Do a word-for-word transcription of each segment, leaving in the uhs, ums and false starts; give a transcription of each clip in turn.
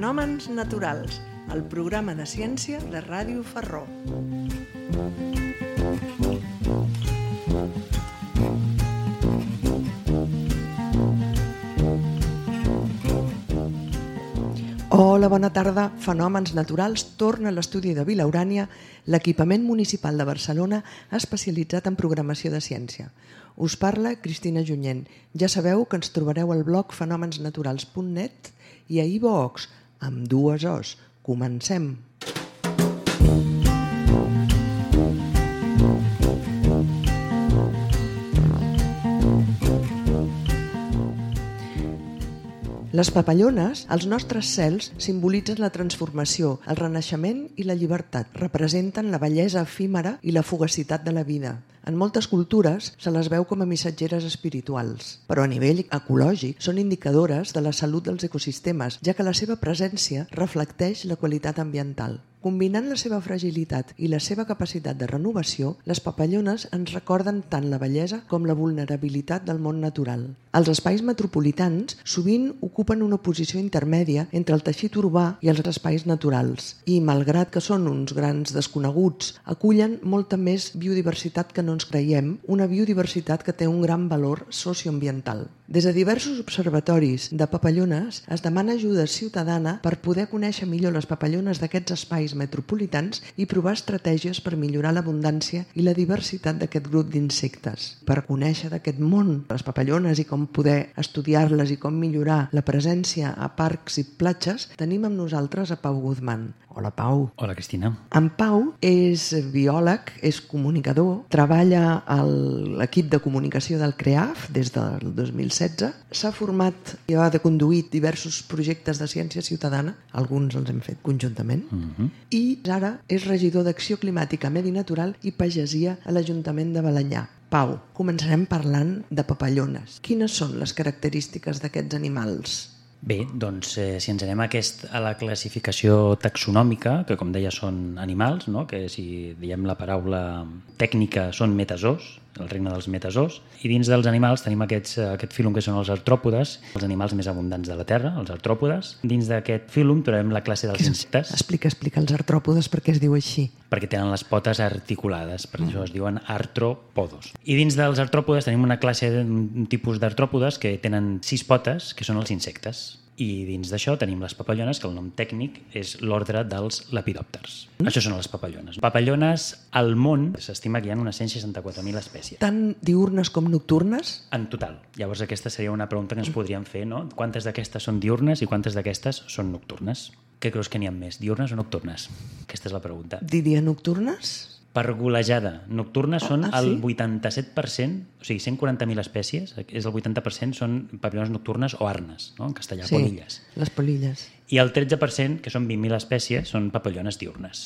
Fenòmens naturals, el programa de ciència de Ràdio Ferró. Hola, bona tarda. Fenòmens naturals torna a l'estudi de Vila Urània, l'equipament municipal de Barcelona especialitzat en programació de ciència. Us parla Cristina Junyent. Ja sabeu que ens trobareu al blog fenòmens naturals punt net i a iVoox, amb dues Os. Comencem! Les papallones, als nostres cels, simbolitzen la transformació, el renaixement i la llibertat. Representen la bellesa efímera i la fugacitat de la vida. En moltes cultures se les veu com a missatgeres espirituals, però a nivell ecològic són indicadores de la salut dels ecosistemes, ja que la seva presència reflecteix la qualitat ambiental. Combinant la seva fragilitat i la seva capacitat de renovació, les papallones ens recorden tant la bellesa com la vulnerabilitat del món natural. Els espais metropolitans sovint ocupen una posició intermèdia entre el teixit urbà i els espais naturals i, malgrat que són uns grans desconeguts, acullen molta més biodiversitat que no ens creiem, una biodiversitat que té un gran valor socioambiental. Des de diversos observatoris de papallones es demana ajuda ciutadana per poder conèixer millor les papallones d'aquests espais metropolitans i provar estratègies per millorar l'abundància i la diversitat d'aquest grup d'insectes. Per conèixer d'aquest món, les papallones i com poder estudiar-les i com millorar la presència a parcs i platges, tenim amb nosaltres a Pau Guzmán. Hola, Pau. Hola, Cristina. En Pau és biòleg, és comunicador, treballa a l'equip de comunicació del CREAF des del dos mil setze, s'ha format i ha de conduir diversos projectes de ciència ciutadana, alguns els hem fet conjuntament, uh-huh. i ara és regidor d'Acció Climàtica, Medi Natural i Pagesia a l'Ajuntament de Balenyà. Pau, començarem parlant de papallones. Quines són les característiques d'aquests animals? Bé, doncs eh, si ens anem a, aquest, a la classificació taxonòmica, que com deia són animals, no? Que si diem la paraula tècnica són metazoos, el regne dels metazoos, i dins dels animals tenim aquests, aquest fílum que són els artròpodes, els animals més abundants de la Terra, els artròpodes. Dins d'aquest fílum trobem la classe dels insectes. Explica, explica els artròpodes, per què es diu així. Perquè tenen les potes articulades, per mm. això es diuen artropodos. I dins dels artròpodes tenim una classe, un tipus d'artròpodes que tenen sis potes, que són els insectes. I dins d'això tenim les papallones, que el nom tècnic és l'ordre dels lepidòpters. Mm. Això són les papallones. Papallones al món s'estima que hi ha unes cent seixanta-quatre mil espècies. Tant diürnes com nocturnes? En total. Llavors aquesta seria una pregunta que ens podríem fer, no? Quantes d'aquestes són diürnes i quantes d'aquestes són nocturnes? Què creus que n'hi ha més, diürnes o nocturnes? Aquesta és la pregunta. Diria nocturnes? Per golejada. Nocturnes són ah, sí? el vuitanta-set per cent, o sigui, cent quaranta mil espècies, és el vuitanta per cent són papallones nocturnes o arnes, no? En castellà, sí, polilles. Les polilles. I el tretze per cent, que són vint mil espècies, són papallones diürnes.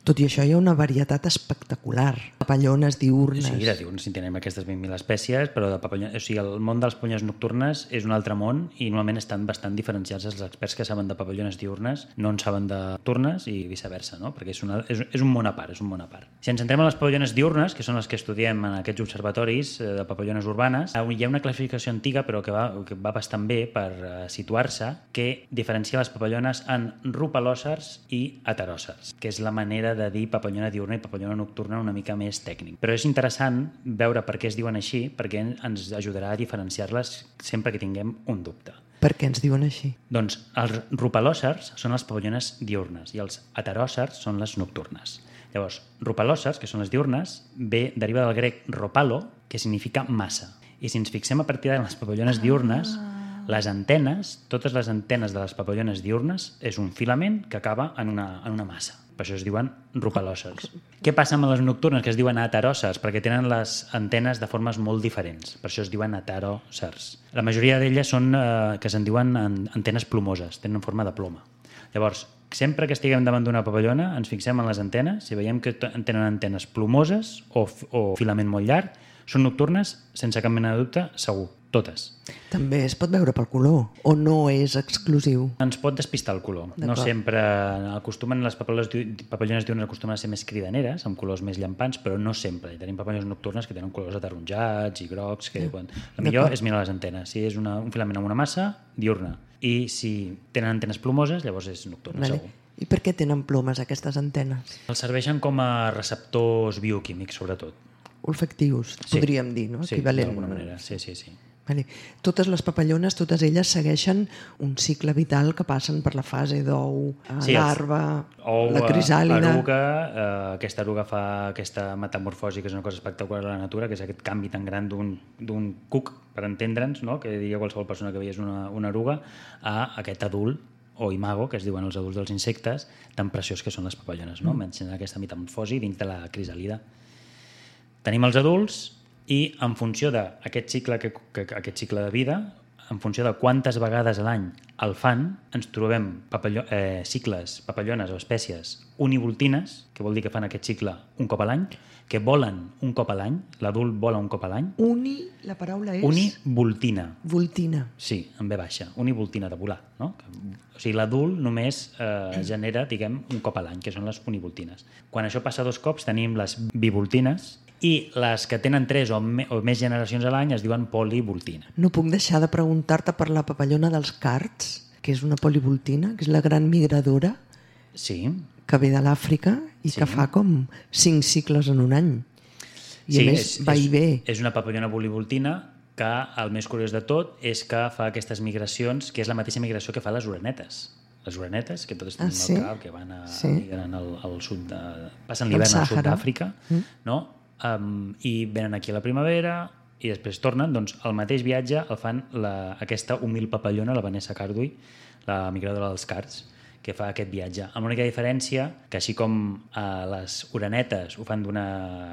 Tot i això hi ha una varietat espectacular. Papallones diürnes. Sí, de diürnes en tenim aquestes vint mil espècies, però de papallones, o sigui, el món de les papallones nocturnes és un altre món i normalment estan bastant diferenciats. Els experts que saben de papallones diürnes no en saben de nocturnes i viceversa, no? Perquè és, una, és, és un món a part, és un món a part. Si ens centrem en les papallones diürnes, que són les que estudiem en aquests observatoris de papallones urbanes, hi ha una classificació antiga però que va, que va bastant bé per uh, situar-se, que diferencia les papallones en rupalòcers i heteròcers, que és la manera de dir papallona diurna i papallona nocturna una mica més tècnic. Però és interessant veure per què es diuen així, perquè ens ajudarà a diferenciar-les sempre que tinguem un dubte. Per què ens diuen així? Doncs els rupalòcers són les papallones diurnes i els heteròcers són les nocturnes. Llavors, rupalòcers, que són les diurnes, ve, deriva del grec ropalo, que significa massa. I si ens fixem a partir de les papallones diurnes, ah. les antenes, totes les antenes de les papallones diurnes és un filament que acaba en una, en una massa. Per això es diuen rupalòcers. Què passa amb les nocturnes, que es diuen heteròcers? Perquè tenen les antenes de formes molt diferents. Per això es diuen heteròcers. La majoria d'elles són eh, que se'n diuen antenes plomoses, tenen forma de ploma. Llavors, sempre que estiguem davant d'una papallona, ens fixem en les antenes, si veiem que tenen antenes plomoses o, o filament molt llarg, són nocturnes, sense cap mena de dubte, segur. Totes. També es pot veure pel color, o no és exclusiu? Ens pot despistar el color. No sempre acostumen, les papallones diurnes acostumen a ser més cridaneres, amb colors més llampants, però no sempre. Tenim papallones nocturnes que tenen colors ataronjats i grocs, que quan... el millor és mirar les antenes. Si és una, un filament amb una massa, diurna. i si tenen antenes plomoses, llavors és nocturna, Vale. segur. I per què tenen plomes aquestes antenes? Els serveixen com a receptors bioquímics, sobretot. Olfactius, Sí. podríem dir, no? Sí, Equivalent. d'alguna manera, sí, sí, sí. Vale. Totes les papallones, totes elles segueixen un cicle vital que passen per la fase d'ou, a Sí, els- larva, Ou, la crisàlida... eruga, eh, aquesta eruga fa aquesta metamorfosi, que és una cosa espectacular a la natura, que és aquest canvi tan gran d'un d'un cuc, per entendre'ns, no? que diria qualsevol persona que veiés una, una eruga, a aquest adult, o imago, que es diuen els adults dels insectes, tan preciós que són les papallones, no? Mencionen aquesta metamorfosi dins de la crisàlida. Tenim els adults i en funció d'aquest cicle, que, que, aquest cicle de vida, en funció de quantes vegades a l'any el fan, ens trobem papalló, eh, cicles, papallones o espècies univoltines, que vol dir que fan aquest cicle un cop a l'any, que volen un cop a l'any, l'adult vola un cop a l'any. Uni, la paraula és... Univoltina. Voltina. Sí, en ve baixa. Univoltina de volar, no? O sigui, l'adult només eh, genera, diguem, un cop a l'any, que són les univoltines. Quan això passa dos cops tenim les bivoltines, i les que tenen tres o, me, o més generacions a l'any es diuen polivoltina. No puc deixar de preguntar-te per la papallona dels cards, que és una polivoltina, que és la gran migradora, Sí. que ve de l'Àfrica i Sí. que fa com cinc cicles en un any. I sí, a més és, va i ve. És, és una papallona polivoltina que el més curiós de tot és que fa aquestes migracions, que és la mateixa migració que fa les orenetes. Les orenetes, que totes tenim Ah, sí? al cap, que van a, Sí. migren al, al sud de, passen l'hivern al sud Sàhara. d'Àfrica, mm. no? Um, i venen aquí a la primavera i després tornen, doncs el mateix viatge el fan la, aquesta humil papallona, la Vanessa Cardui, la migradora dels cards, que fa aquest viatge. Amb l'única diferència que així com eh, les orenetes ho fan d'una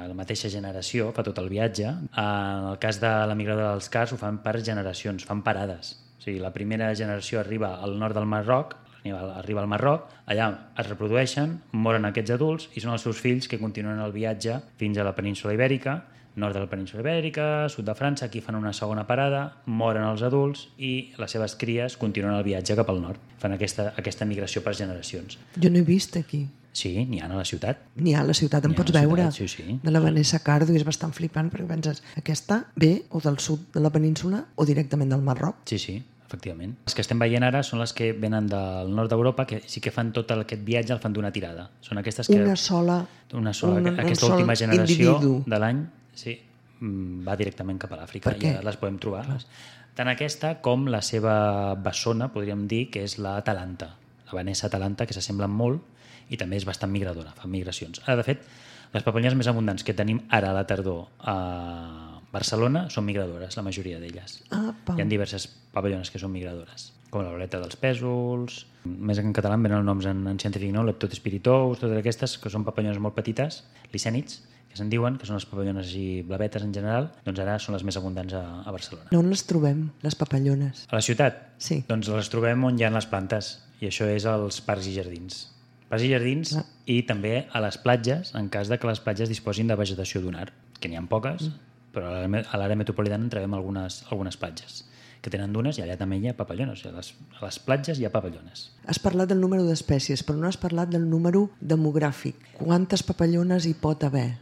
la mateixa generació, fa tot el viatge, en el cas de la migradora dels cards ho fan per generacions, fan parades. O sigui, la primera generació arriba al nord del Marroc, arriba al Marroc, allà es reprodueixen, moren aquests adults i són els seus fills que continuen el viatge fins a la península Ibèrica, nord de la península Ibèrica, sud de França, aquí fan una segona parada, moren els adults i les seves cries continuen el viatge cap al nord. Fan aquesta, aquesta migració per generacions. Jo no he vist aquí. Sí, n'hi ha a la ciutat. N'hi ha a la ciutat, en N'hi ha a pots la veure. ciutat, sí, sí. De la Vanessa Cardo, i és bastant flipant perquè penses, aquesta ve o del sud de la península o directament del Marroc. Sí, sí, efectivament. Les que estem veient ara són les que venen del nord d'Europa, que sí que fan tot aquest viatge, el fan d'una tirada. Són aquestes que... Una sola... Una sola, un, aquesta un sol última generació individu. de l'any, sí, va directament cap a l'Àfrica. Per què? Ja les podem trobar. Clar. Tant aquesta com la seva bessona, podríem dir, que és l'Atalanta. La Vanessa Atalanta, que s'assemblen molt i també és bastant migradora, fa migracions. Ara, de fet, les papallones més abundants que tenim ara a la tardor a Barcelona són migradores, la majoria d'elles. Apa. Hi ha diverses papallones que són migradores, com la boleta dels pèsols, més en català en venen els noms en, en científic, no? Leptospiritops, totes aquestes, que són papallones molt petites, licènids, que se'n diuen, que són les papallones així blavetes en general, doncs ara són les més abundants a, a Barcelona. On les trobem, les papallones? A la ciutat? Sí. Doncs les trobem on hi ha les plantes, i això és als parcs i jardins. Parcs i jardins Ah. i també a les platges, en cas de que les platges disposin de vegetació dunar, que n'hi ha poques, mm. però a l'àrea- a l'àrea metropolitana en trobem algunes, algunes platges que tenen dunes i allà també hi ha papallones. A les, a les platges hi ha papallones. Has parlat del número d'espècies, però no has parlat del número demogràfic. Quantes papallones hi pot haver?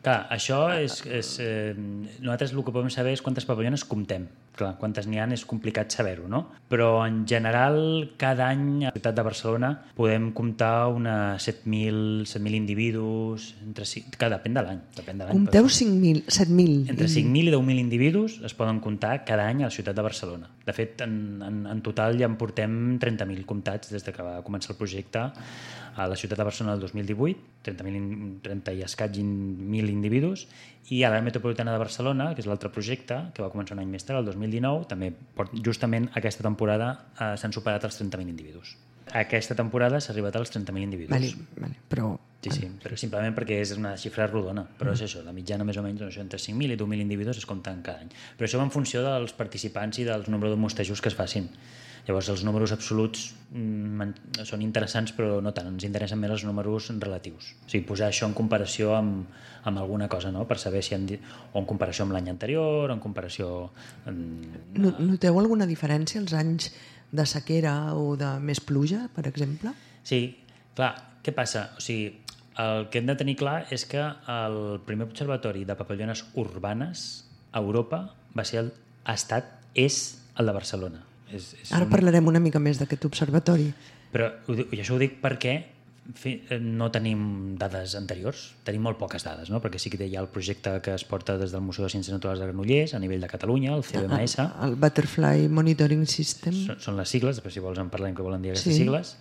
Clar, això és... és eh, nosaltres el que podem saber és quantes papallones comptem. Clar, quantes n'hi ha és complicat saber-ho, no? Però en general, cada any a la ciutat de Barcelona podem comptar unes set mil individus, entre, cinc- que depèn de l'any. Depèn de l'any, Compteu però- cinc mil, set mil. Entre cinc mil i deu mil individus es poden comptar cada any a la ciutat de Barcelona. De fet, en, en, en total ja en portem trenta mil comptats des de que va començar el projecte a la ciutat de Barcelona el dos mil divuit, trenta mil, trenta i escaig mil individus, i a l'àrea metropolitana de Barcelona, que és l'altre projecte, que va començar un any més tard, el dos mil dinou, també port- justament aquesta temporada eh, s'han superat els trenta mil individus. Aquesta temporada s'ha arribat als trenta mil individus. Vale, vale, però... Sí, sí, però simplement perquè és una xifra rodona, però és això, la mitjana més o menys doncs, entre cinc mil i deu mil individus es compten cada any. Però això va en funció dels participants i del nombre de mostejos que es facin. Llavors els números absoluts mm, són interessants però no tant, ens interessen més els números relatius. O sigui, posar això en comparació amb, amb alguna cosa, no? Per saber si han dit, o en comparació amb l'any anterior, o en comparació... Amb... No- Noteu alguna diferència als anys de sequera o de més pluja, per exemple? Sí, clar, què passa? O sigui, el que hem de tenir clar és que el primer observatori de papallones urbanes a Europa va ser el, ha estat, és el de Barcelona. És, és Ara un... parlarem una mica més d'aquest observatori. Però ho dic, i això ho dic perquè no tenim dades anteriors, tenim molt poques dades, no? Perquè sí que hi ha el projecte que es porta des del Museu de Ciències Naturals de Granollers a nivell de Catalunya, el C B M S. El, el Butterfly Monitoring System. Són, són les sigles, després si vols en parlem què volen dir aquestes sí. sigles.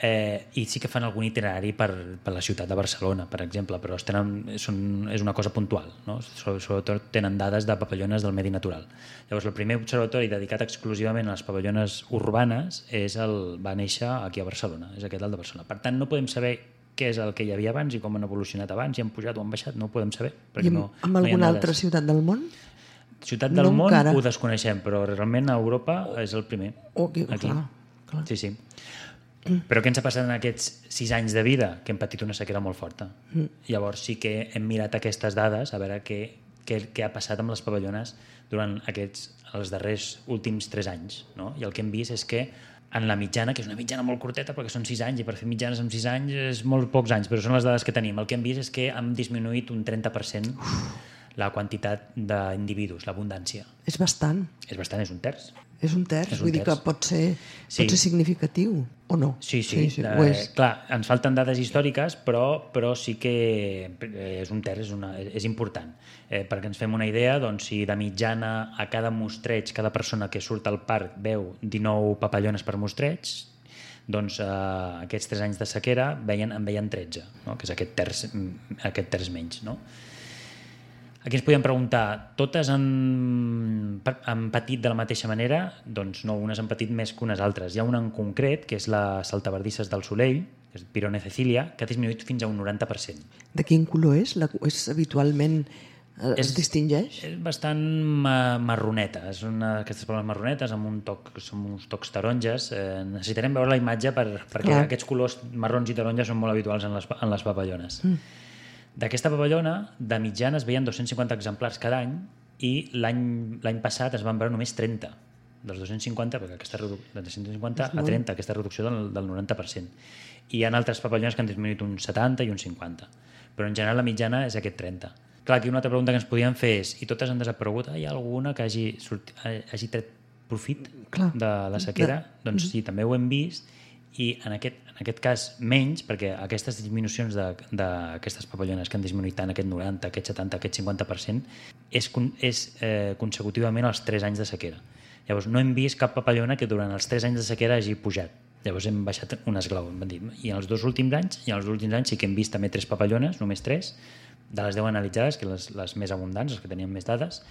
Eh, I sí que fan algun itinerari per, per la ciutat de Barcelona, per exemple, però tenen, són, és una cosa puntual, no? Sobretot tenen dades de papallones del medi natural. Llavors, el primer observatori dedicat exclusivament a les papallones urbanes és el, va néixer aquí a Barcelona, és aquest el de Barcelona. Per tant, no podem saber què és el que hi havia abans i com han evolucionat abans, si han pujat o han baixat, no ho podem saber. I no, amb no alguna altra ciutat del món? Ciutat del no món encara. Ho desconeixem, però realment a Europa és el primer. Okay, aquí. Clar, clar. Sí, sí. Però què ens ha passat en aquests sis anys de vida? Que hem patit una sequera molt forta. Mm. Llavors sí que hem mirat aquestes dades a veure què, què, què ha passat amb les pavallones durant aquests, els darrers últims tres anys. No? I el que hem vist és que en la mitjana, que és una mitjana molt curteta perquè són sis anys i per fer mitjanes en sis anys és molt pocs anys, però són les dades que tenim. El que hem vist és que hem disminuït un trenta per cent la quantitat d'individus, l'abundància. És bastant. És bastant, és un terç. És un terç, és un vull terç. dir que pot ser, sí. pot ser significatiu, o no? Sí, sí, sí, sí eh, ho és. Clar, ens falten dades històriques, però, però sí que és un terç, és, una, és important. Eh, perquè ens fem una idea, doncs, si de mitjana a cada mostreig, cada persona que surt al parc veu dinou papallones per mostreig, doncs eh, aquests tres anys de sequera veien, en veien tretze, no? Que és aquest terç, aquest terç menys, no? Aquí ens podem preguntar, totes han, han patit de la mateixa manera? Doncs no, unes han patit més que unes altres. Hi ha una en concret, que és la saltabardisses del Solell, que és Pirone cecilia, que ha disminuït fins a un noranta per cent. De quin color és? La, és habitualment es és, distingeix? És bastant marroneta, és una d'aquestes plomes marronetes amb un toc, són uns tocs taronges. Eh, necessitarem veure la imatge per, perquè Clar. Aquests colors marrons i taronges són molt habituals en les, en les papallones. Mm. D'aquesta papallona, de mitjana es veien dos-cents cinquanta exemplars cada any i l'any passat es van veure només trenta. Dels dos-cents cinquanta, perquè aquesta redu... de dos-cents cinquanta a trenta, aquesta reducció del, del noranta per cent. I hi ha altres papallones que han disminuït un setanta i un cinquanta. Però en general la mitjana és aquest trenta. Clar, aquí una altra pregunta que ens podíem fer és, i totes han desaparegut, hi ha alguna que hagi, sortit, hagi tret profit Clar. De la sequera? De... Doncs sí, també ho hem vist. I en aquest, en aquest cas menys, perquè aquestes disminucions d'aquestes papallones que han disminuït tant aquest noranta, aquest setanta, aquest cinquanta per cent és, és eh, consecutivament els tres anys de sequera. Llavors no hem vist cap papallona que durant els tres anys de sequera hagi pujat. Llavors hem baixat un esglau, hem dit. I en els dos últims anys, i en els últims anys sí que hem vist també tres papallones, només tres, de les deu analitzades, que les, les més abundants, les que tenien més dades,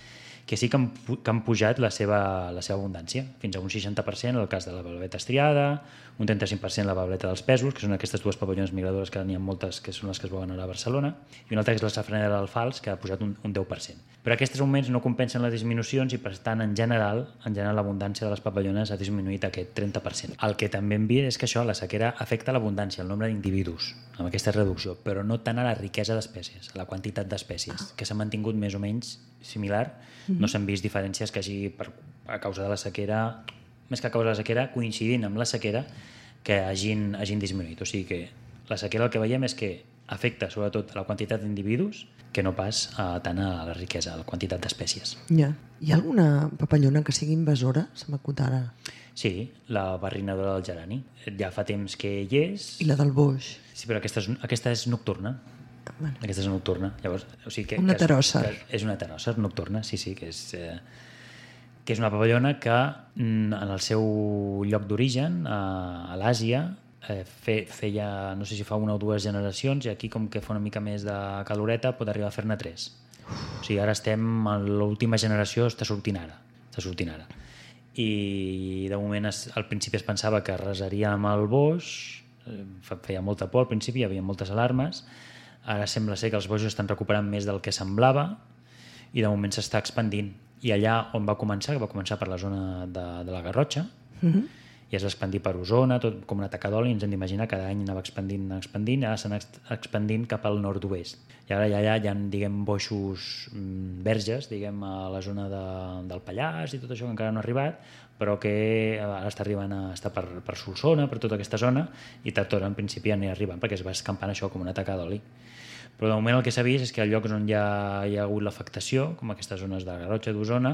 que sí que han, que han pujat la seva, la seva abundància, fins a un seixanta per cent en el cas de la bableta estriada, un trenta-cinc per cent la bableta dels pèsols, que són aquestes dues papallones migradores que n'hi ha moltes, que són les que es veuen ara a Barcelona, i una altra que és la safranera del fals, que ha pujat un, un deu per cent. Però aquests augments no compensen les disminucions i, per tant, en general, en general l'abundància de les papallones ha disminuït aquest trenta per cent. El que també hem vist és que això, la sequera, afecta l'abundància, el nombre d'individus, amb aquesta reducció, però no tant a la riquesa d'espècies, a la quantitat d'espècies, que s'ha mantingut més o menys similar. No s'han vist diferències que hagi, per, a causa de la sequera, més que a causa de la sequera, coincidint amb la sequera, que hagin, hagin disminuït. O sigui que la sequera el que veiem és que afecta sobretot a la quantitat d'individus que no pas a, tant a la riquesa, a la quantitat d'espècies. Ja. Hi ha alguna papallona que sigui invasora? Se m'acut ara. Sí, la barrinadora del gerani. Ja fa temps que hi és. I la del boix. Sí, però aquesta és, aquesta és nocturna. Bueno. Aquesta és nocturna. Llavors, o sigui que, una que teròsser. És, és una teròsser nocturna, sí, sí, que és, eh, que és una papallona que mm, en el seu lloc d'origen, a, a l'Àsia, eh, fe, feia, no sé si fa una o dues generacions, i aquí com que fa una mica més de caloreta pot arribar a fer-ne tres. O sigui, ara estem, l'última generació està sortint ara. Està sortint ara. I de moment es, al principi es pensava que resaria amb el boix, eh, feia molta por al principi, hi havia moltes alarmes. Ara sembla ser que els boixos estan recuperant més del que semblava i de moment s'està expandint. I allà on va començar, que va començar per la zona de, de la Garrotxa, uh-huh. i es va expandir per Osona, tot com una taca d'oli, ens hem d'imaginar, cada any anava expandint, expandint, ara s'anà expandint cap al nord-oest. I ara allà hi ha, diguem, boixos verges, diguem, a la zona de, del Pallars i tot això que encara no ha arribat, però que ara està arribant a estar per, per Solsona, per tota aquesta zona, i tard en principi anirà arribant, perquè es va escampant això com una taca d'oli. Però de moment el que s'ha vist és que als llocs on ja hi ha hagut l'afectació, com aquestes zones de Garrotxa d'Osona,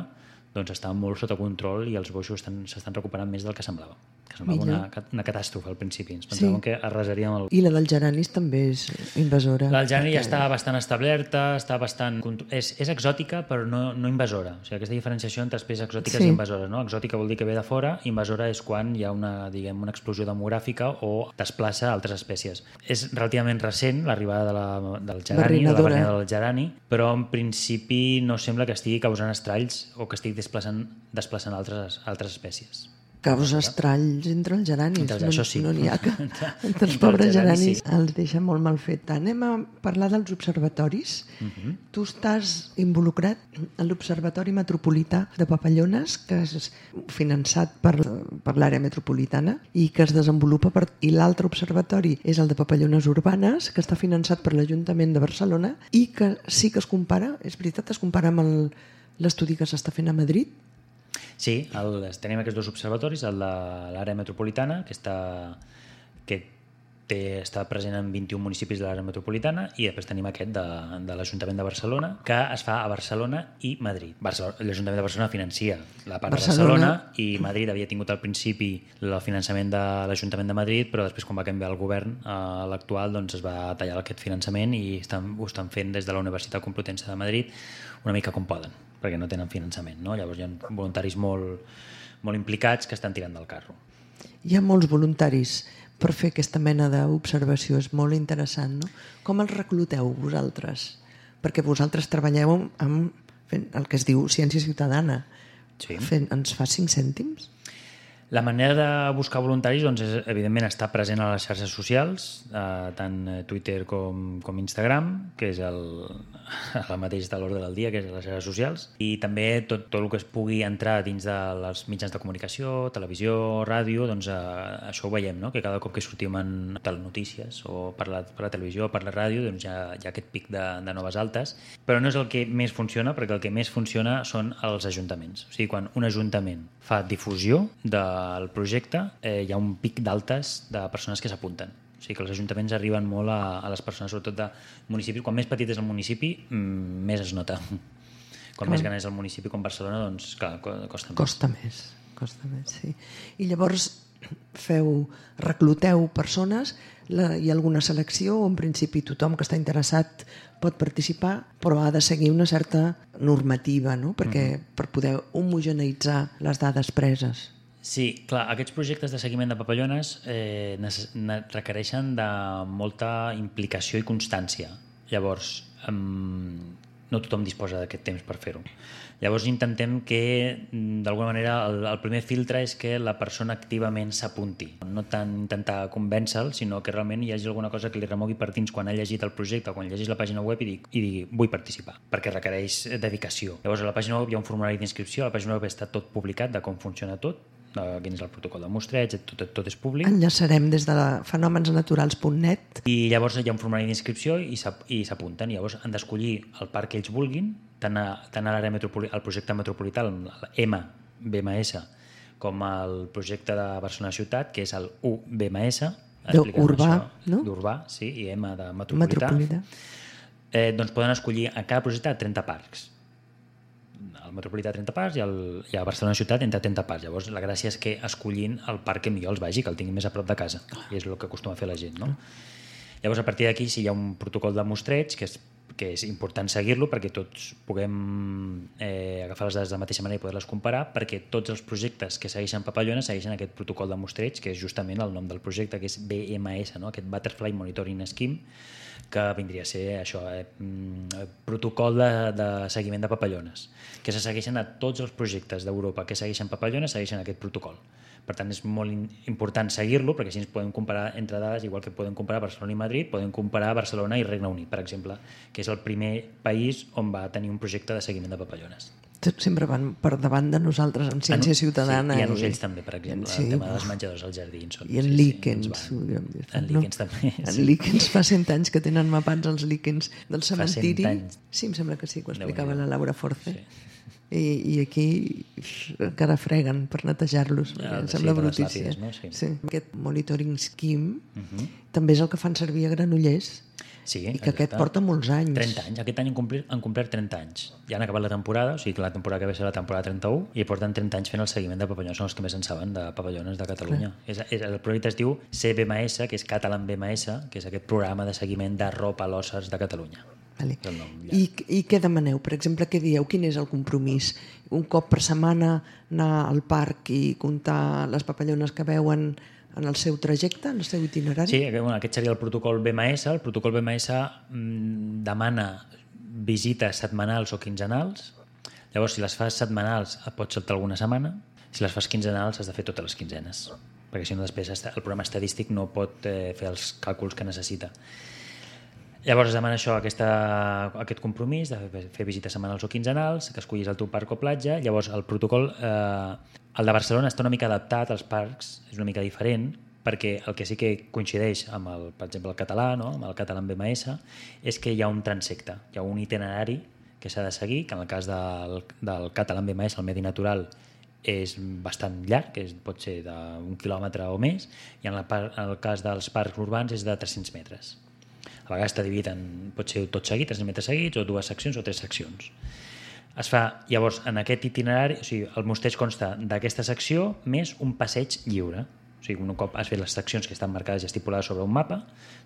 doncs està molt sota control i els boixos s'estan recuperant més del que semblava. Que semblava una, una catàstrofe al principi. Ens pensàvem sí. que arrasaríem el... I la dels geranis també és invasora. La del gerani perquè... ja està bastant establerta, està bastant... És, és exòtica però no, no invasora. O sigui, aquesta diferenciació entre espècies exòtiques sí. i invasores. No? Exòtica vol dir que ve de fora, invasora és quan hi ha una, diguem, una explosió demogràfica o desplaça altres espècies. És relativament recent l'arribada de la, del gerani, de la variant del gerani, però en principi no sembla que estigui causant estralls o que estigui desplaçant, desplaçant altres, altres espècies. Causa estralls entre els geranis. Entre, no, això sí. No n'hi ha que... entre els pobres geranis sí. els deixa molt mal fet. Anem a parlar dels observatoris. Uh-huh. Tu estàs involucrat en l'Observatori Metropolità de Papallones, que és finançat per, per l'àrea metropolitana i que es desenvolupa per... I l'altre observatori és el de Papallones Urbanes, que està finançat per l'Ajuntament de Barcelona i que sí que es compara, és veritat, es compara amb el, l'estudi que s'està fent a Madrid. Sí, el, tenim aquests dos observatoris, el de l'àrea metropolitana, que, està, que té, està present en vint-i-un municipis de l'àrea metropolitana, i després tenim aquest de, de l'Ajuntament de Barcelona, que es fa a Barcelona i Madrid. L'Ajuntament de Barcelona financia la part Barcelona. de Barcelona i Madrid havia tingut al principi el finançament de l'Ajuntament de Madrid, però després quan va canviar el govern eh, l'actual doncs es va tallar aquest finançament i estan, ho estan fent des de la Universitat Complutense de Madrid una mica com poden, perquè no tenen finançament, no? Llavors hi ha voluntaris molt, molt implicats que estan tirant del carro. Hi ha molts voluntaris per fer aquesta mena d'observació, és molt interessant, no? Com els recluteu vosaltres? Perquè vosaltres treballeu amb fent el que es diu ciència ciutadana. Sí. Fent, ens fa cinc cèntims? La manera de buscar voluntaris doncs, és, evidentment, estar present a les xarxes socials, eh, tant Twitter com, com Instagram, que és el, el mateix de l'ordre del dia, que és les xarxes socials, i també tot, tot el que es pugui entrar dins dels mitjans de comunicació, televisió, ràdio, doncs eh, això ho veiem, no? Que cada cop que sortim en telenotícies o per la, per la televisió o per la ràdio doncs hi ha, hi ha aquest pic de, de noves altes, però no és el que més funciona, perquè el que més funciona són els ajuntaments. O sigui, quan un ajuntament fa difusió de el projecte, eh, hi ha un pic d'altes de persones que s'apunten. O sigui que els ajuntaments arriben molt a, a les persones, sobretot de municipis. Quan més petit és el municipi, mmm, més es nota. Quan clar. Més gran és el municipi com Barcelona, doncs clar, costa més. Costa més, costa més, sí. I llavors feu, recluteu persones, la, hi ha alguna selecció o en principi tothom que està interessat pot participar, però ha de seguir una certa normativa, no? Perquè mm-hmm. per poder homogeneitzar les dades preses. Sí, clar, aquests projectes de seguiment de papallones eh, requereixen de molta implicació i constància. Llavors, eh, no tothom disposa d'aquest temps per fer-ho. Llavors intentem que, d'alguna manera, el, el primer filtre és que la persona activament s'apunti. No tant intentar convèncer-lo, sinó que realment hi hagi alguna cosa que li remogui per dins quan ha llegit el projecte o quan llegeix la pàgina web i digui, i digui vull participar, perquè requereix dedicació. Llavors a la pàgina web hi ha un formulari d'inscripció, a la pàgina web està tot publicat de com funciona tot, quin és el protocol de mostreig, tot, tot és públic. Enllaçarem des de fenomensnaturals punt net. I llavors hi ha un formulari d'inscripció i s'apunten. Llavors han d'escollir el parc que ells vulguin, tant a, tant a l'àrea metropolitana, el projecte metropolità, el M B M S, com el projecte de Barcelona Ciutat, que és el U B M S, d'urbà, no? D'urbà, sí, i M de metropolità. metropolità. Eh, doncs poden escollir a cada projecte trenta parcs. El metropolità trenta parcs i, el, i a Barcelona Ciutat entre trenta parcs. Llavors la gràcia és que escollint el parc que millor els vagi, que el tinguin més a prop de casa, i és el que acostuma a fer la gent, no? Llavors a partir d'aquí sí hi ha un protocol de mostreig que és, que és important seguir-lo perquè tots puguem eh, agafar les dades de la mateixa manera i poder-les comparar, perquè tots els projectes que segueixen papallones segueixen aquest protocol de mostreig, que és justament el nom del projecte, que és B M S, no? Aquest Butterfly Monitoring Scheme, que vindria a ser això, eh, protocol de, de seguiment de papallones, que se segueixen a tots els projectes d'Europa que segueixen papallones, segueixen aquest protocol. Per tant, és molt important seguir-lo, perquè així ens podem comparar entre dades, igual que podem comparar Barcelona i Madrid, podem comparar Barcelona i Regne Unit, per exemple, que és el primer país on va tenir un projecte de seguiment de papallones. Sempre van per davant de nosaltres en ciència en, ciutadana. Sí, i en ocells també, per exemple, sí, el tema dels menjadors als jardins. Són, I en sí, líquens. Sí, sí, en líquens no? també. En sí. líquens fa cent anys que tenen mapats els líquens del cementiri. Sí, em sembla que sí, que ho explicava la Laura Force. Sí. I, i aquí encara freguen per netejar-los, ah, em sembla sí, brutícia. No? Sí. Sí. Aquest monitoring scheme uh-huh. també és el que fan servir a Granollers. Sí, I que aquest exacte. porta molts anys. trenta anys. Aquest any han complert, han complert trenta anys. Ja han acabat la temporada, o sigui que la temporada que ve serà la temporada trenta-u, i porten trenta anys fent el seguiment de papallones, són els que més en saben de papallones de Catalunya. És, és, el projecte es diu C B M S, que és Catalan B M S, que és aquest programa de seguiment de ropalòssers de Catalunya. Vale. És el nom, ja. I, I què demaneu? Per exemple, què dieu? Quin és el compromís? Un cop per setmana anar al parc i comptar les papallones que veuen en el seu trajecte, en el seu itinerari? Sí, aquest, bueno, aquest seria el protocol B M S. El protocol B M S mmm, demana visites setmanals o quinzenals. Llavors, si les fas setmanals, et pots saltar alguna setmana. Si les fas quinzenals, has de fer totes les quinzenes, perquè si no després el programa estadístic no pot eh, fer els càlculs que necessita. Llavors es demana això, aquesta, aquest compromís de fer visites setmanals o quinzenals, que escollis el teu parc o platja. Llavors el protocol, eh, el de Barcelona està una mica adaptat als parcs, és una mica diferent, perquè el que sí que coincideix amb el, per exemple, el català, no? Amb el Catalan B M S, és que hi ha un transecte, hi ha un itinerari que s'ha de seguir, que en el cas del, del Catalan B M S, el medi natural, és bastant llarg, que és, pot ser d'un quilòmetre o més, i en, la, en el cas dels parcs urbans és de tres-cents metres. A vegades està dividit en, pot ser tot seguit, tres metres seguits, o dues seccions o tres seccions. Es fa, llavors, en aquest itinerari, o sigui, el mostreig consta d'aquesta secció més un passeig lliure. O sigui, un cop has fet les seccions que estan marcades i estipulades sobre un mapa,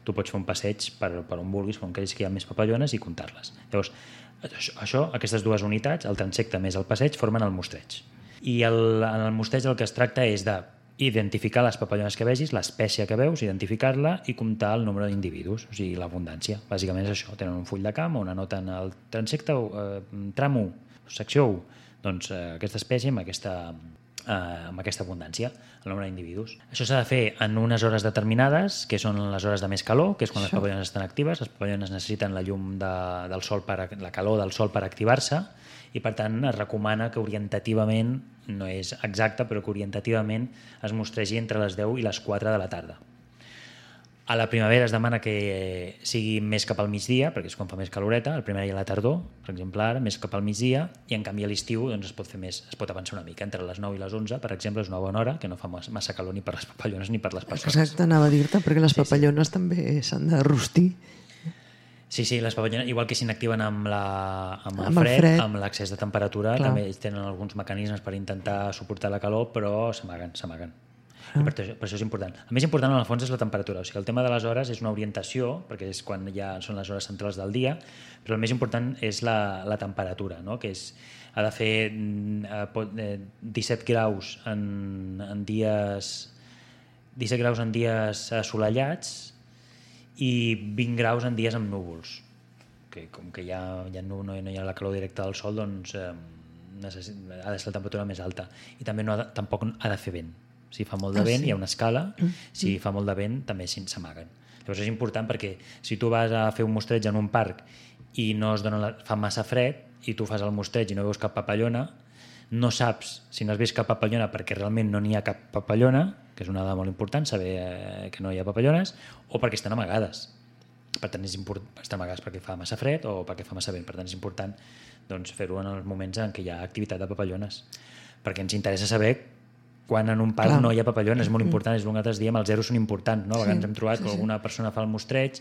tu pots fer un passeig per, per on vulguis, on creguis que hi ha més papallones i comptar-les. Llavors, això, això, aquestes dues unitats, el transecte més el passeig, formen el mostreig. I el, en el mostreig el que es tracta és de identificar les papallones que vegis, l'espècie que veus, identificar-la i comptar el nombre d'individus, o sigui, l'abundància. Bàsicament és això, tenen un full de camp on anoten el transecte, eh, tram u, secció u, doncs eh, aquesta espècie amb aquesta, eh, amb aquesta abundància, el nombre d'individus. Això s'ha de fer en unes hores determinades, que són les hores de més calor, que és quan les papallones estan actives. Les papallones necessiten la llum de, del sol, per, la calor del sol per activar-se, i per tant es recomana que orientativament, no és exacte, però que orientativament es mostregi entre les deu i les quatre de la tarda. A la primavera es demana que sigui més cap al migdia, perquè és quan fa més caloreta, a la primavera i a la tardor, per exemple ara, més cap al migdia, i en canvi a l'estiu doncs, es pot fer més, es pot avançar una mica, entre les nou i les onze, per exemple, és una bona hora, que no fa massa calor ni per les papallones ni per les persones. Exacte, anava a dir-te, perquè les Sí, papallones sí. també s'han de rostir. Sí, sí, les papallones, igual que s'inactiven amb, la, amb el Amb el fred, fred. amb l'accés de temperatura, Clar. també ells tenen alguns mecanismes per intentar suportar la calor, però s'amaguen, s'amaguen. I per, per això és important. El més important, en el fons, és la temperatura. O sigui, el tema de les hores és una orientació, perquè és quan ja són les hores centrals del dia, però el més important és la, la temperatura, no? Que és, ha de fer eh, disset graus en, en dies disset graus en dies assolellats i vint graus en dies amb núvols, que com que ja, ja no, no hi ha la calor directa del sol, doncs eh, necessit, ha de ser la temperatura més alta, i també no ha de, tampoc ha de fer vent. Si fa molt de Ah, vent, sí? hi ha una escala, si Mm. fa molt de vent també s'amaguen. Llavors és important perquè si tu vas a fer un mostreig en un parc i no es dona la, fa massa fred i tu fas el mostreig i no veus cap papallona, no saps si no has vist cap papallona perquè realment no n'hi ha cap papallona, que és una dada molt important, saber eh, que no hi ha papallones, o perquè estan amagades. Per tant, és important, estan amagades perquè fa massa fred o perquè fa massa vent. Per tant, és important doncs, fer-ho en els moments en què hi ha activitat de papallones, perquè ens interessa saber quan en un parc Clar. no hi ha papallones. És molt important, és el que nosaltres diem, els zeros són importants, no? A vegades Sí, hem trobat sí, que sí. alguna persona fa el mostreig,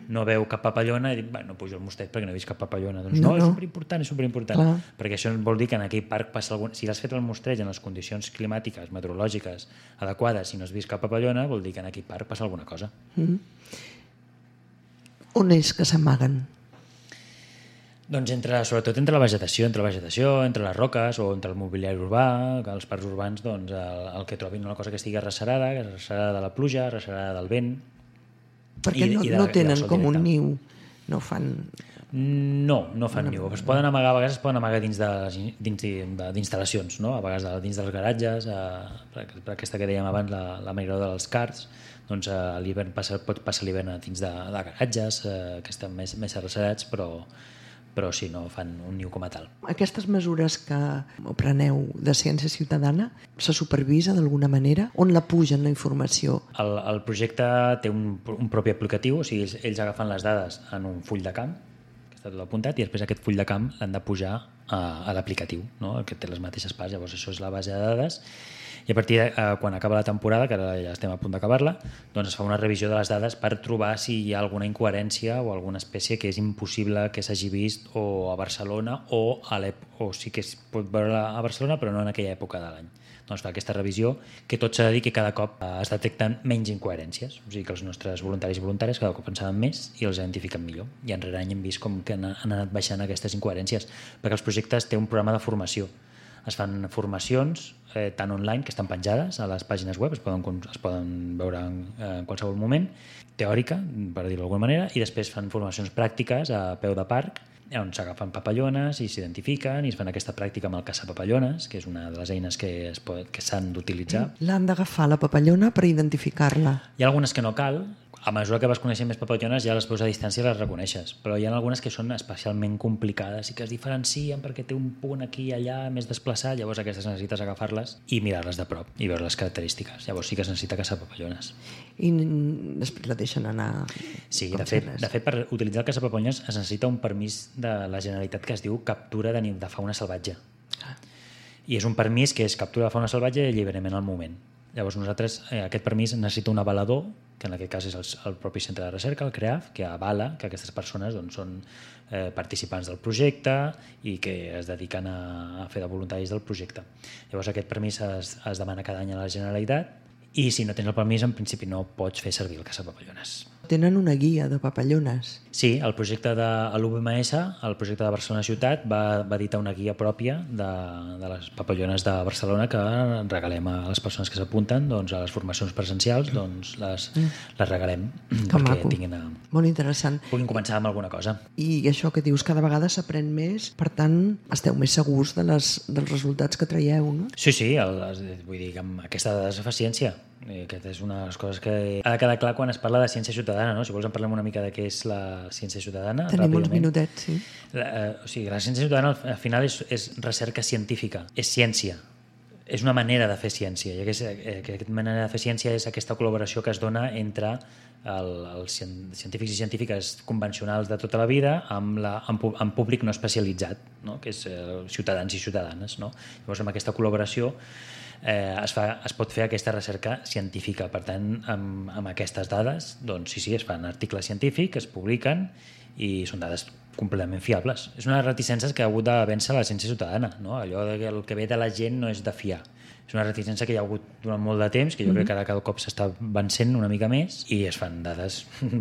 no veu cap papallona i dic, no pujo al mostreig perquè no he vist cap papallona. Doncs No, no, és no. superimportant, és superimportant. Clar. Perquè això vol dir que en aquell parc passa algun... Si has fet el mostreig en les condicions climàtiques, meteorològiques adequades i no has vist cap papallona, vol dir que en aquell parc passa alguna cosa. Mm. On és que s'amaguen? Doncs entre, sobretot entre la vegetació, entre la vegetació, entre les roques o entre el mobiliari urbà, que als parcs urbans doncs, el, el que trobin una cosa que estigui arrecerada, que és arrecerada de la pluja, arrecerada del vent. Perquè I- no, i de- no i del tenen sol com un directe. niu, no fan... No, no fan niu. Es poden amagar, a vegades es poden amagar dins de- dins de- d'instal·lacions, no? A vegades de- dins dels garatges, eh, per, per aquesta que dèiem abans, la, la migradora dels carts, doncs eh, a l'hivern passa, pot passar l'hivern dins de, de garatges, eh, que estan més, més arrecerats, però, però sí, no fan un niu com a tal. Aquestes mesures que preneu de ciència ciutadana se supervisa d'alguna manera? On la pugen la informació? El, el projecte té un, un propi aplicatiu, o sigui, ells, ells agafen les dades en un full de camp, que està tot apuntat, i després aquest full de camp l'han de pujar a, a l'aplicatiu, no? Que té les mateixes parts. Llavors això és la base de dades i a partir de eh, quan acaba la temporada, que ara ja estem a punt d'acabar-la, doncs es fa una revisió de les dades per trobar si hi ha alguna incoherència o alguna espècie que és impossible que s'hagi vist o a Barcelona o, a o sí que es pot veure a Barcelona però no en aquella època de l'any. Doncs fa aquesta revisió que tot s'ha de dir que cada cop es detecten menys incoherències, o sigui que els nostres voluntaris i voluntàries cada cop en saben més i els identifiquen millor. I en rere any hem vist com que han anat baixant aquestes incoherències, perquè els projectes té un programa de formació. Es fan formacions eh, tant online, que estan penjades a les pàgines web, es poden, es poden veure en, en qualsevol moment, teòrica, per dir-ho d'alguna manera, i després fan formacions pràctiques a peu de parc, on s'agafen papallones i s'identifiquen i es fan aquesta pràctica amb el caçapapallones, que és una de les eines que, es pot, que s'han d'utilitzar. L'han d'agafar la papallona per identificar-la. Hi ha algunes que no cal. A mesura que vas coneixent més papallones ja les veus a distància i les reconeixes, però hi ha algunes que són especialment complicades i que es diferencien perquè té un punt aquí i allà més desplaçat, llavors aquestes necessites agafar-les i mirar-les de prop i veure les característiques. Llavors sí que es necessita caçar papallones. I després la deixen anar... Sí, de fet, de fet per utilitzar el caçapapallones es necessita un permís de la Generalitat que es diu captura de, de fauna salvatge. Ah. I és un permís que és captura de fauna salvatge i alliberament al moment. Llavors nosaltres, eh, aquest permís necessita un avalador, que en aquest cas és el, el propi centre de recerca, el CREAF, que avala que aquestes persones doncs, són eh, participants del projecte i que es dediquen a, a fer de voluntaris del projecte. Llavors aquest permís es, es demana cada any a la Generalitat i si no tens el permís en principi no pots fer servir el caçapapallones. Tenen una guia de papallones. Sí, el projecte de l'U B M S, el projecte de Barcelona Ciutat, va, va editar una guia pròpia de, de les papallones de Barcelona que regalem a les persones que s'apunten doncs, a les formacions presencials, doncs les, mm. les regalem que perquè maco. tinguin a, molt interessant. puguin començar amb alguna cosa. I això que dius, cada vegada s'aprèn més, per tant, esteu més segurs de les, dels resultats que traieu, no? Sí, sí, el, vull dir que amb aquesta dada es fa ciència. Aquesta és una de les coses que ha de quedar clar quan es parla de ciència ciutadana, no? Si vols en parlem una mica de què és la ciència ciutadana. Tenim uns minutets, sí. La, eh, o sigui, la ciència ciutadana al final és, és recerca científica, és ciència. És una manera de fer ciència i aquesta, aquesta manera de fer ciència és aquesta col·laboració que es dona entre el, els científics i científiques convencionals de tota la vida amb, la, amb, amb públic no especialitzat, no? Que és eh, ciutadans i ciutadanes, no? Llavors amb aquesta col·laboració eh, es, fa, es pot fer aquesta recerca científica. Per tant, amb, amb aquestes dades, doncs sí, sí, es fan articles científics, es publiquen i són dades completament fiables. És una reticència que ha hagut de vèncer la ciència ciutadana, no? Allò que el que ve de la gent no és de fiar. És una reticència que hi ha hagut durant molt de temps, que jo mm-hmm. crec que ara cada cop s'està vencent una mica més i es fan dades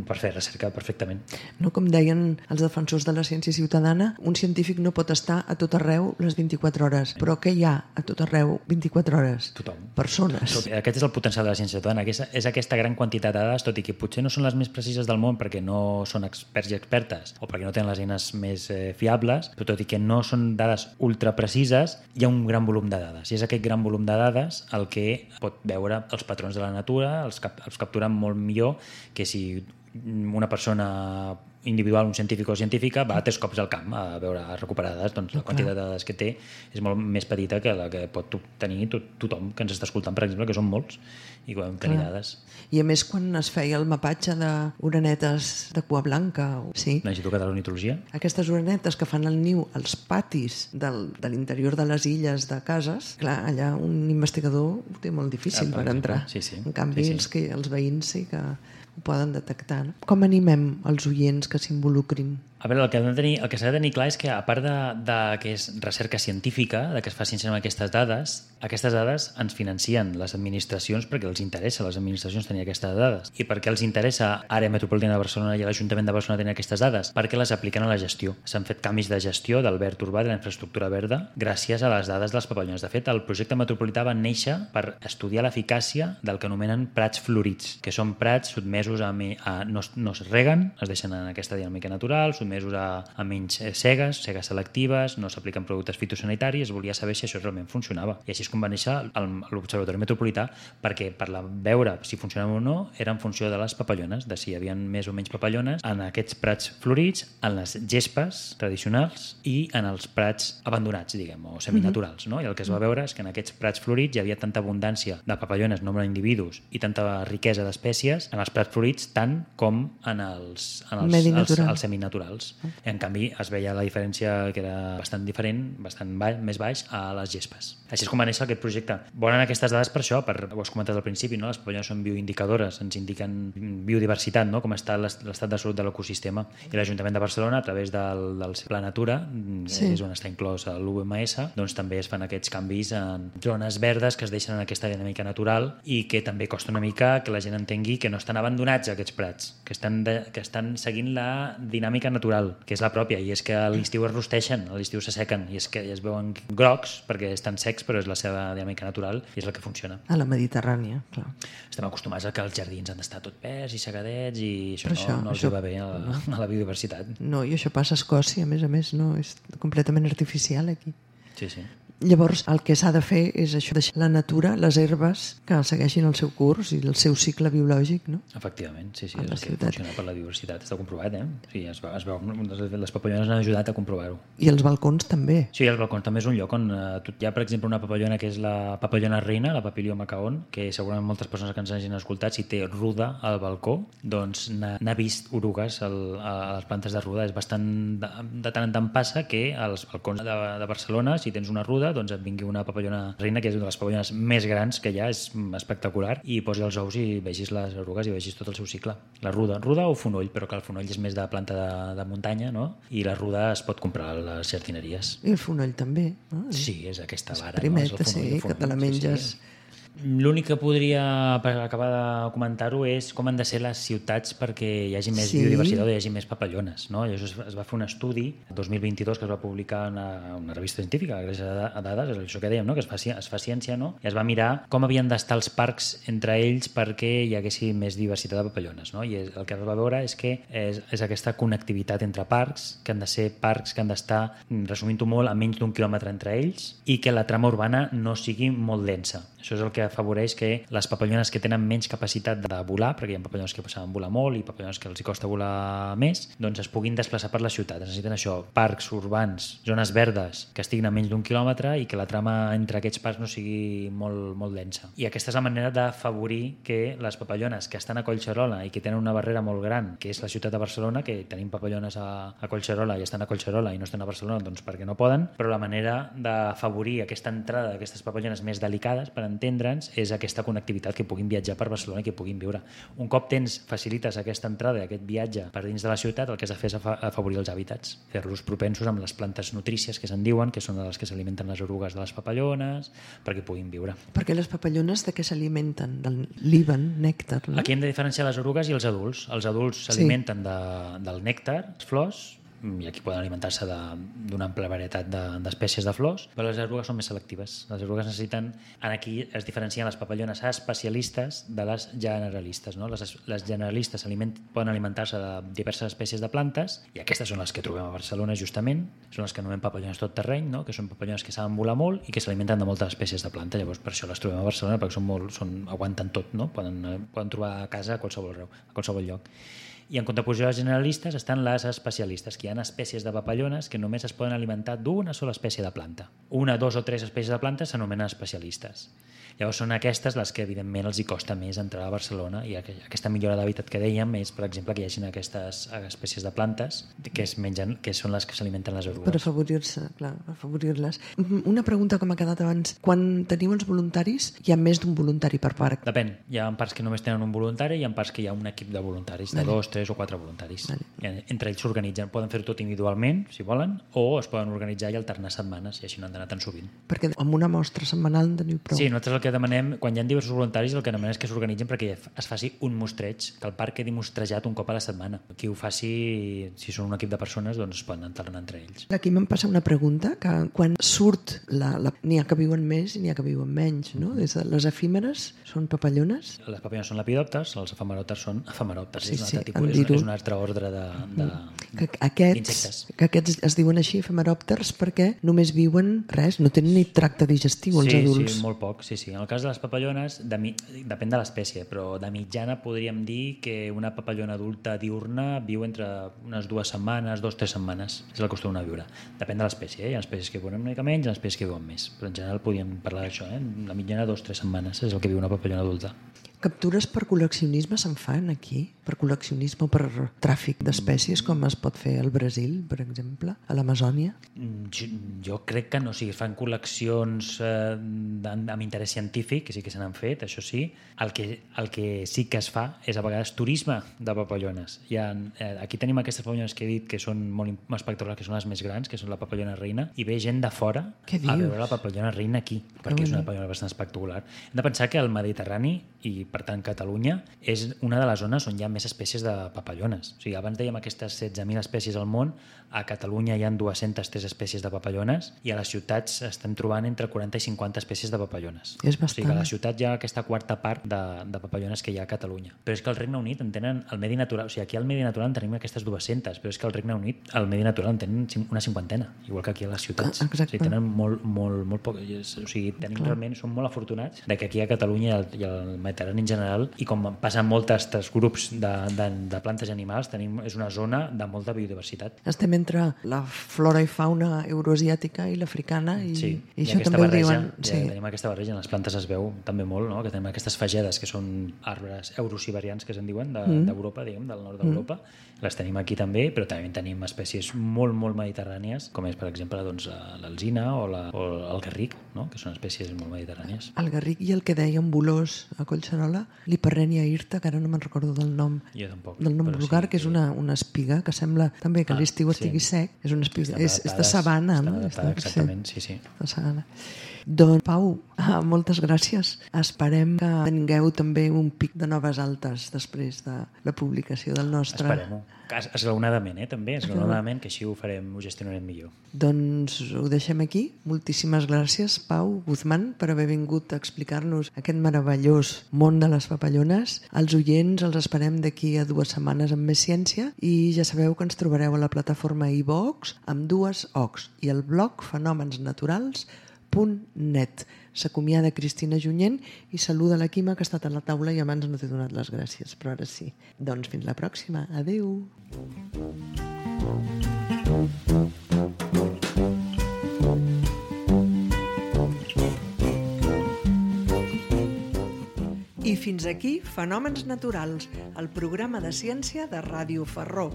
per fer recerca perfectament. No, com deien els defensors de la ciència ciutadana, un científic no pot estar a tot arreu les vint-i-quatre hores, però què hi ha a tot arreu vint-i-quatre hores? Tothom. Persones. Tot, aquest és el potencial de la ciència ciutadana, que és, és aquesta gran quantitat de dades, tot i que potser no són les més precises del món perquè no són experts i expertes o perquè no tenen les eines més eh, fiables, però tot i que no són dades ultra precises, hi ha un gran volum de dades. I és aquest gran volum de dades el que pot veure els patrons de la natura, els, cap, els capturen molt millor que si una persona individual, un científic o científica, va tres cops al camp a veure, a recuperar dades, doncs la quantitat de dades que té és molt més petita que la que pot tenir tot, tothom que ens està escoltant, per exemple, que són molts, i podem tenir dades. I a més, quan es feia el mapatge d'orenetes de cua blanca, sí. L'Institut Català d'Ornitologia. Aquestes orenetes que fan el niu als patis del, de l'interior de les illes de cases, clar, allà un investigador ho té molt difícil ah, per, per entrar. Sí, sí. En canvi, sí, sí. Els, que, els veïns sí que ho poden detectar. No? Com animem els oients que s'involucrin? A veure, el que, de tenir, el que s'ha de tenir clar és que, a part de, de que és recerca científica, de que es fa ciència amb aquestes dades, aquestes dades ens financien les administracions perquè els interessa a les administracions tenir aquestes dades. I per què els interessa Àrea Metropolitana de Barcelona i l'Ajuntament de Barcelona tenir aquestes dades? Perquè les apliquen a la gestió. S'han fet canvis de gestió del verd urbà, de la infraestructura verda, gràcies a les dades dels papallones. De fet, el projecte metropolità va néixer per estudiar l'eficàcia del que anomenen prats florits, que són prats sotmesos a... a no, no es reguen, es deixen en aquesta dinàmica natural, sotmesos a, a menys cegues, cegues selectives, no s'apliquen productes fitosanitaris, es volia saber si això realment funcionava. I així és com va néixer l'Observatori Metropolità, perquè per la, veure si funcionava o no era en funció de les papallones, de si hi havia més o menys papallones en aquests prats florits, en les gespes tradicionals i en els prats abandonats, diguem, o seminaturals, no? I el que es va veure és que en aquests prats florits hi havia tanta abundància de papallones, nombre d'individus i tanta riquesa d'espècies en els prats florits tant com en els, en els, els, els seminaturals. En canvi, es veia la diferència que era bastant diferent, bastant baix, més baix a les gespes. Així és com va néixer aquest projecte. Volen aquestes dades per això, per, ho has comentat al principi, no? Les papallones són bioindicadores, ens indiquen biodiversitat, no? Com està l'estat de salut de l'ecosistema. I l'Ajuntament de Barcelona, a través del, del Pla Natura, sí. És on està inclòs l'U M S, doncs també es fan aquests canvis en zones verdes que es deixen en aquesta dinàmica natural i que també costa una mica que la gent entengui que no estan abandonats aquests prats, que estan, de, que estan seguint la dinàmica natural, que és la pròpia, i és que a l'estiu es rosteixen, a l'estiu s'assequen, i és que es veuen grocs perquè estan secs, però és la seva dinàmica natural i és el que funciona. A la Mediterrània, clar. Estem acostumats a que els jardins han d'estar tot verds i segadets i això, això no, no els això, va bé a la, a la biodiversitat. No, i això passa a Escòcia, a més a més, no, és completament artificial aquí. Sí, sí. Llavors, el que s'ha de fer és això, deixar la natura, les herbes, que segueixin el seu curs i el seu cicle biològic, no? Efectivament, sí, sí, és el que funciona per la diversitat. Està comprovat, eh? Sí, es veu, es veu, les papallones han ajudat a comprovar-ho. I els balcons també. Sí, els balcons també és un lloc on eh, hi ha, per exemple, una papallona que és la papallona reina, la Papilio macaon, que segurament moltes persones que ens hagin escoltat, si té ruda al balcó, doncs n'ha vist orugues al, a les plantes de ruda. És bastant, de, de tant en tant passa que als balcons de, de Barcelona, si tens una ruda, doncs et vingui una papallona reina, que és una de les papallones més grans que hi ha, és espectacular, i posi els ous i vegis les erugues i vegis tot el seu cicle. La ruda, ruda o fonoll, però que el fonoll és més de planta de, de muntanya, no? I la ruda es pot comprar a les jardineries. I el fonoll també, no? Sí, és aquesta vara. Primeta, no? És el fonoll, sí, el fonoll, que te la menges... Sí, sí. L'únic que podria, per acabar de comentar-ho, és com han de ser les ciutats perquè hi hagi més sí. biodiversitat o hi hagi més papallones, no? I això es, es va fer un estudi el dos mil vint-i-dos que es va publicar en una, una revista científica, gràcies a dades, és això que dèiem, no? Que es fa, es fa ciència, no? I es va mirar com havien d'estar els parcs entre ells perquè hi haguessi més diversitat de papallones, no? I el que es va veure és que és, és aquesta connectivitat entre parcs, que han de ser parcs que han d'estar, resumint-ho molt, a menys d'un quilòmetre entre ells, i que la trama urbana no sigui molt densa. Això és el que afavoreix que les papallones que tenen menys capacitat de volar, perquè hi ha papallones que saben volar molt i papallones que els hi costa volar més, doncs es puguin desplaçar per la ciutat. Necessiten això, parcs urbans, zones verdes que estiguin a menys d'un quilòmetre i que la trama entre aquests parcs no sigui molt, molt densa. I aquesta és la manera d'afavorir que les papallones que estan a Collserola i que tenen una barrera molt gran, que és la ciutat de Barcelona, que tenim papallones a, a Collserola i estan a Collserola i no estan a Barcelona doncs perquè no poden, però la manera d'afavorir aquesta entrada d'aquestes papallones més delicades, per entendre'ns, és aquesta connectivitat, que puguin viatjar per Barcelona i que puguin viure. Un cop tens, facilites aquesta entrada, aquest viatge per dins de la ciutat, el que has de fer és afavorir els hàbitats, fer-los propensos amb les plantes nutrícies que se'n diuen, que són les que s'alimenten les orugues de les papallones, perquè puguin viure. Perquè les papallones de què s'alimenten? Del líban, nèctar, no? Aquí hem de diferenciar les orugues i els adults. Els adults s'alimenten sí. de, del nèctar, les flors, i aquí poden alimentar-se d'una àmplia varietat d'espècies de, de flors, però les erugues són més selectives. Les erugues necessiten... Aquí es diferencien les papallones especialistes de les generalistes. No? Les, les generalistes aliment, poden alimentar-se de diverses espècies de plantes, i aquestes són les que trobem a Barcelona justament, són les que anomenen papallones tot terreny, no? Que són papallones que saben volar molt i que s'alimenten de moltes espècies de planta. Llavors per això les trobem a Barcelona, perquè són molt, són, aguanten tot, no? Poden, poden trobar a casa a qualsevol arreu, a qualsevol lloc. I en contraposició a les generalistes estan les especialistes, que hi ha espècies de papallones que només es poden alimentar d'una sola espècie de planta. Una, dos o tres espècies de plantes s'anomenen especialistes. Llavors són aquestes les que evidentment els hi costa més entrar a Barcelona, i aquesta millora d'hàbitat que dèiem és, per exemple, que hi hagi aquestes espècies de plantes que es mengen, que són les que s'alimenten les orugues. Per afavorir-se, clar, afavorir-les. Una pregunta que m'ha quedat abans. Quan teniu els voluntaris, hi ha més d'un voluntari per parc? Depèn. Hi ha parcs que només tenen un voluntari i hi ha parcs que hi ha un equip de voluntaris, de vale. dos, tres o quatre voluntaris. Vale. Entre ells s'organitzen. Poden fer-ho tot individualment, si volen, o es poden organitzar i alternar setmanes, i així no han d'anar tan sovint. Perquè amb una mostra setmanal en teniu prou. Sí, nosaltres el que demanem, quan hi ha diversos voluntaris, el que demanem és que s'organitzin perquè es faci un mostreig, que el parc quedi mostrejat un cop a la setmana. Qui ho faci, si són un equip de persones, doncs es poden alternar entre ells. Aquí me'n passa una pregunta, que quan surt, la, la, n'hi ha que viuen més i n'hi ha que viuen menys, no? Des de les efímeres són papallones? Les papallones són lepidòpters, els efemeròpters són efemeròpters. Sí, és, un sí, altre tipus, és, és un altre ordre de, de, que aquests, d'insectes. Que aquests es diuen així, efemeròpters, perquè només viuen res, no tenen ni tracte digestiu els sí, adults. Sí, molt poc, sí, sí. En el cas de les papallones, de mi... depèn de l'espècie, però de mitjana podríem dir que una papallona adulta diurna viu entre unes dues setmanes, dos, tres setmanes. És el que acostuma a viure. Depèn de l'espècie, eh? Hi ha espècies que viuen una mica menys, hi ha espècies que viuen més. Però en general podríem parlar d'això, eh? La mitjana dos, tres setmanes és el que viu una papallona adulta. Captures per col·leccionisme se'n fan aquí? Per col·leccionisme o per tràfic d'espècies, com es pot fer al Brasil, per exemple, a l'Amazònia? Jo, jo crec que no, o sigui, es fan col·leccions eh, amb interès científic, que sí que se n'han fet, això sí. El que, el que sí que es fa és a vegades turisme de papallones. Hi ha, eh, aquí tenim aquestes papallones que he dit que són molt espectaculars, que són les més grans, que són la papallona reina, i ve gent de fora a veure la papallona reina aquí, perquè és una papallona bastant espectacular. Hem de pensar que el Mediterrani, i per tant Catalunya, és una de les zones on hi ha més espècies de papallones. O sigui, abans dèiem aquestes setze mil espècies al món, a Catalunya hi ha dues-centes tres espècies de papallones i a les ciutats estem trobant entre quaranta i cinquanta espècies de papallones. És bastant. O sigui que a la ciutat hi ha aquesta quarta part de, de papallones que hi ha a Catalunya. Però és que al Regne Unit en tenen el medi natural, o sigui, aquí al medi natural en tenim aquestes dues-centes, però és que al Regne Unit el medi natural en tenen una cinquantena, igual que aquí a les ciutats. Exacte. O sigui, tenen molt, molt, molt poc, o sigui, tenim Clar. realment, som molt afortunats de que aquí a Catalunya i al, i al Mediterrani en general, i com passen molts altres grups de, de, de plantes i animals, tenim, és una zona de molta biodiversitat. Estem entre la flora i fauna euroasiàtica i l'africana i, sí. i I això aquesta també barreja, ho diuen. Ja sí. tenim aquesta barreja, en les plantes es veu també molt, no? Que tenim aquestes fagedes que són arbres eurosiberians que se'n diuen d'Europa, de, mm. diguem, del nord d'Europa. Mm. Les tenim aquí també, però també tenim espècies molt, molt mediterrànies, com és, per exemple, doncs, l'alzina o, la, o el garric, no? Que són espècies molt mediterrànies. El garric i el que dèiem Bolós a Collserola, l'Hiperrènia hirta, que ara no me'n recordo del nom. Jo tampoc. Del nom vulgar, sí, que és una, una espiga que sembla també que ah, l'estiu estigui sí. sec. És una espiga, és, és de sabana, no? Està, exactament, sí, sí. De sabana. Doncs, Pau, moltes gràcies. Esperem que tingueu també un pic de noves altes després de la publicació del nostre... Esperem-ho. Esglaonadament, eh, també, esglaonadament, que així ho farem, ho gestionarem millor. Doncs ho deixem aquí. Moltíssimes gràcies, Pau Guzmán, per haver vingut a explicar-nos aquest meravellós món de les papallones. Els oients els esperem d'aquí a dues setmanes amb més ciència i ja sabeu que ens trobareu a la plataforma iVox amb dues ocs i el blog fenomensnaturals punt net. S'acomiada Cristina Junyent i saluda la Quima, que ha estat a la taula i abans no t'he donat les gràcies, però ara sí. Doncs fins la pròxima. Adéu. I fins aquí Fenòmens Naturals, el programa de ciència de Ràdio Ferró.